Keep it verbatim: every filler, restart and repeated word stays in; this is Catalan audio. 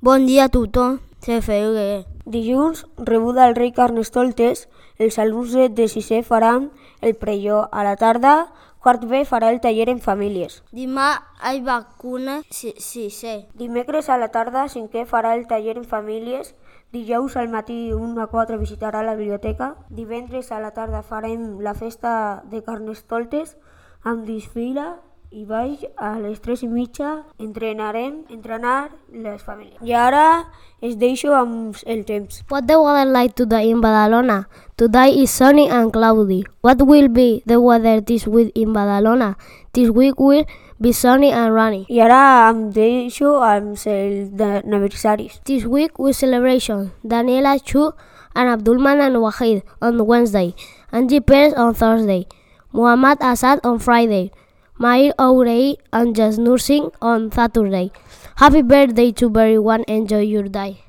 Bon dia a tothom, se feia. Dilluns, rebuda al rei Carnestoltes, els alumnes de sisè faran el pregó. A la tarda, quart B farà el taller en famílies. Demà hi vacuna sisè. Dimecres a la tarda, cinquè farà el taller en famílies. Dijous al matí un a quatre visitarà la biblioteca. Divendres a la tarda farem la festa de Carnestoltes amb desfila i baix a les tres i mitja entrenarem entrenar les famílies. I ara es deixo amb el temps. What the weather like today in Badalona? Today is sunny and cloudy. What will be the weather this week in Badalona? This week will be sunny and rainy. I ara em deixo amb els aniversaris. This week we celebration Daniela Chu and Abdulman and Wahid on Wednesday, Angie Perez on Thursday, Muhammad Asad on Friday, Mair Ourei and Jasnur Singh on Saturday. Happy birthday to everyone. Enjoy your day.